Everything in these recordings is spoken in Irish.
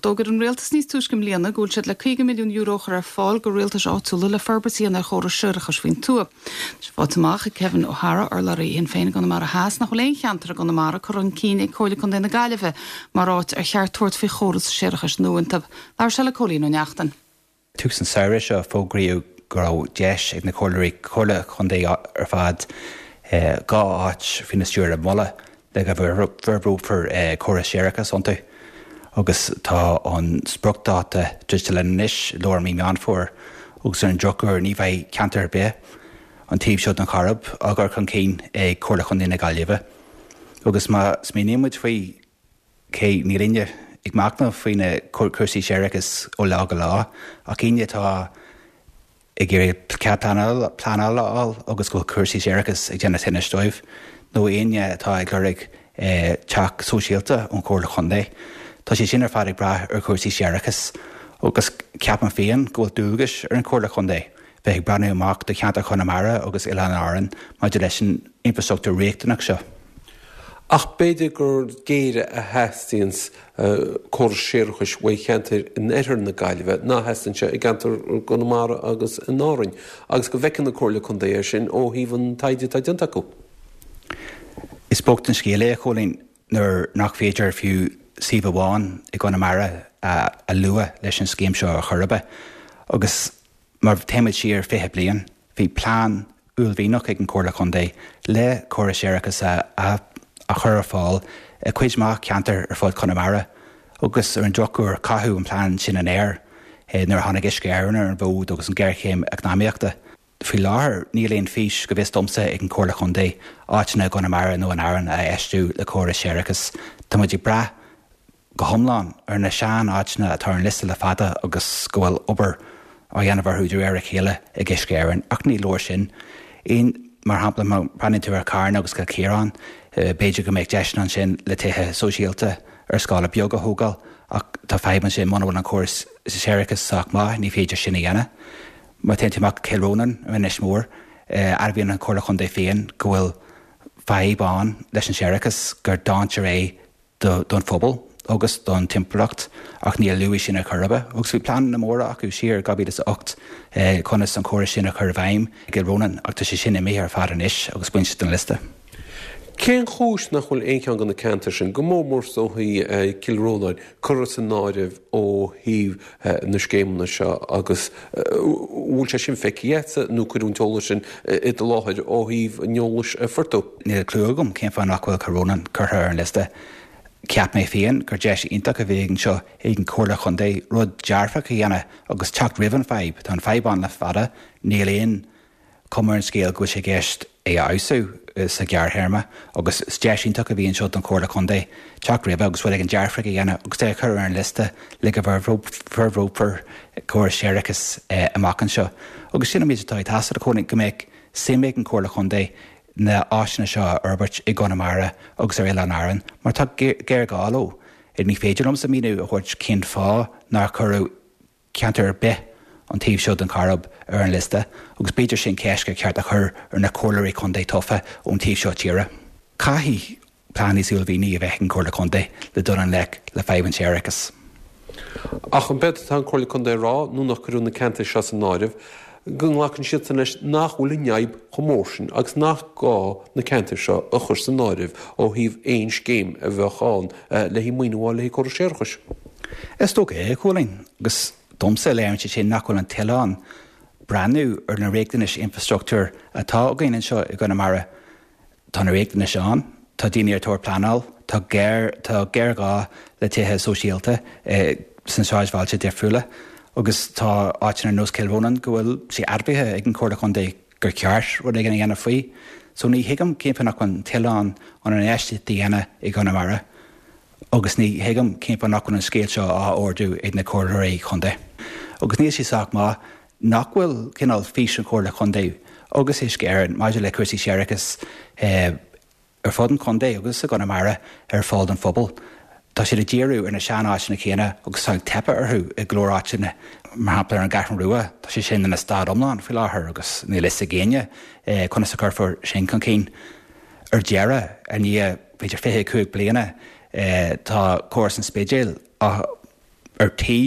D'fhógair an Rialtas níos túisce i mbliana go bhfuil siad le €50 milliún a chur ar fáil go rialtais áitiúla le forbairt a dhéanamh ar chórais séarachais faoin tuath. Tá sé faighte amach ag Kevin O'Hara, urlabhraí Shinn Féin i gConamara Theas, nach bhfuil aon cheantar i gConamara curtha chun cinn ag Comhairle Contae na Gaillimhe mar áit ar cheart tabhairt faoi chóras séarachais nua iontu. Labhair sé le Cóilín Ó Neachtain. Tús an tsamhraidh seo fógraíodh go raibh deis ag na comhairleoirí Comhairle Chontae ar fad 2 áit faoina stiúir a mholadh le go bhforbrófar córas séarachais iontu agus tá an spriocdháta druidte linn anois, lár mí Meán Fómhair, agus ar an drochuair ní bheidh ceantar ar bith an taobh seo den Choirib á gcur chun cinn ag Comhairle Chontae na Gaillimhe. Agus má smaoiníonn muid faoi, cé níl éinne ag machnamh faoi na cúrsaí séarachais ó lá go lá ach éinne atá ag iarraidh cead pleanála a fháil agus go bhfuil cúrsaí séarachais ag déanamh tinnis dóibh, nó éinne atá ag lorg teach sóisialta ón Chomhairle Chontae. Tá sé sin ar fad ag brath ar chúrsaí séarachais agus ceapaim féin go bhfuil dualgas ar an Chomhairle Chontae bheith ag breathnú amach do cheantar Chonamara agus Oileáin Árann maidir leis an infrastruchtúr riachtanach seo. Ach b'fhéidir gur géire a theastaíonns córas séarachais uaidh cheantair in oirthear na Gaillimhe ná a theastaíonn sé i gceantar Chonamara agus in Árainn, agus go bhfeiceann an Comhairle Contae é sin ó thaobh an taighde atá déanta acu. Is bocht an scéal é, a Chóilín, nuair nach féidir fiú suíomh amháin i gConamara a lua leis an scéim seo ar chor ar bith. Agus Má théimid siar 20 bliain, bhí plean uaillmhianach ag an Chomhairle Chontae le córas séarachais a chur ar fáil i cuid mhaith ceantar ar fud Chonamara agus ar an drochuair caitheadh an plean sin in aer nuair a tháinig Uisce Éireann ar an bhfód agus an ghéarchéim eacnamaíochta. Faoi láthair níl aon fhís, go bhfios domsa, ag an Chomhairle Chontae áiteanna i gConamara nó in Árainn a fheistiú le córas séarachais. Tá muid ag brath go hiomlán ar na sean-áiteanna atá ar an liosta le fada agus go bhfuil obair á dhéanamh orthu de réir a chéile ag Uisce Éireann. Ach ní leor sin. Mar shampla, má bhreathnaíonn tú ar Charna agus Cill Chiaráin, b'fhéidir go mbeadh deiseanna ansin le tithe sóisialta ar scála beag a thógáil ach tá fadhb ansin, muna bhfuil an córas séarachais sách maith, ní féidir sin a dhéanamh. Má théann tú amach go Cill Rónáin ar Inis Mór, admhaíonn an Chomhairle Chontae féin go bhfuil fadhb ann leis an séarachas, gur dainséar é don phobal agus don timpeallacht ach níor luadh sin ar chor ar bith. Agus bhí pleananna móra acu siar i 2008 conas an córas sin a chur i bhfeidhm i gCill Rónáin ach tá sé sin imithe ar fad anois agus bainte den liosta. Cén chúis nach bhfuil aon cheann de na ceantair sin, go mór mór is dóichí Cill Rónáin, curtha san áireamh ó thaobh na scéimeanna seo agus bhfuil sé sin feicthe agatsa nó cuireadh an t-eolas sin i do láthair ó thaobh an eolais a fuair tú? Níl clue agam cén fáth nach bhfuil Cill Rónáin curtha ar an liosta. Cheap mé féin gur deis iontach a bheadh anseo ag an Chomhairle Chontae rud dearfach a dhéanamh agus teacht roimh an fadhb. Tá an fadhb ann le fada, níl aon chuma ar an scéal go bhfuil sé i gceist é a fheabhsú sa ghearrthéarma agus is deis iontach a bhí anseo don Chomhairle Contae teacht roimhe agus rud éigin dearfach a dhéanamh agus é a chur ar an liosta le go bhforbrófar córas séarachais amach anseo. Agus sin an méid atá ag teastáil, a Chóilín, go mbeadh suim ag an Chomhairle Chontae na áiseanna seo a fhorbairt i gConamara agus ar Oileáin Árann mar tá géarghá leo. Ní féidir liomsa míniú a thabhairt cén fáth nár cuireadh ceantar ar bith an taobh seo den Choirib ar an liosta agus b'fhéidir sin ceist gur cheart a chur ar na comhairleoirí contae tofa ón taobh seo tíre. Caithfidh plean níos uaillmhianaí a bheith ag an Chomhairle Contae le dul i ngleic le fadhb an tséarachais. Ach an b'éard atá an Chomhairle Contae a rá nó nach cuireadh na ceantair seo san áireamh, go nglacann siadsan leis nach bhfuil an fhadhb chomh mór sin agus nach gá na ceantair seo a chur san áireamh ó thaobh aon scéim a bheadh ann le haghaidh maoiniú a fháil le haghaidh córas séarachais. Is dócha é, a Chóilín, agus domsa léiríonn sé sin nach bhfuil an toil ann breathnú ar na riachtanais infreastruchtúir atá againn anseo i gConamara. Tá na riachtanais ann, tá daoine ar thóir pleanáil, tá géar, tá géarghá le tithe sóisialta sna sráidbhailte difriúla agus tá áiteanna ar nós Cill Rónáin go bhfuil sé admhaithe ag an Chomhairle Chontae gur cheart rud éigin a dhéanamh faoi. So ní thuigim cén fáth nach bhfuil an toil ann an infheistíocht a dhéanamh i gConamara. Agus ní thuigim cén fáth nach bhfuil an scéal seo á ardú ag na comhairleoirí chontae. Agus níl sé sách maith nach bhfuil cineál fís an Chomhairle Chontae agus Uisce Éireann maidir le cúrsaí séarachais ar fud an chontae agus i gConamara ar fáil don phobal. Tá siad ag díriú ar na sean-áiteanna céanna agus tá ag teipeadh orthu i go leor áiteanna, mar shampla ar an gCeathrú Rua, tá sé sin ina stad iomlán faoi láthair agus níl fhios ag éinne conas a chuirfear sin chun cinn. Ar deireadh, i ndiaidh b'fhéidir 25 bliana, tá córas an Spidéil ar ar tí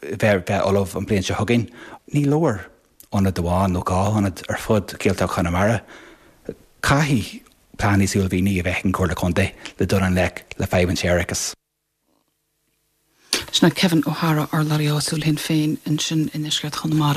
bheith bheith ullamh an bhliain seo chugainn. Ní leor ionad amháin nó 2 ionad ar fud Ghaeltacht Chonamara. Caithfidh plean níos uaillmhianaí a bheith ag an Chomhairle Contae le dul i ngleic le fadhb an tséarachais. Sin é Kevin O'Hara, urlabhraí áitiúil Shinn Féin ansin i ndeisceart Chonamara.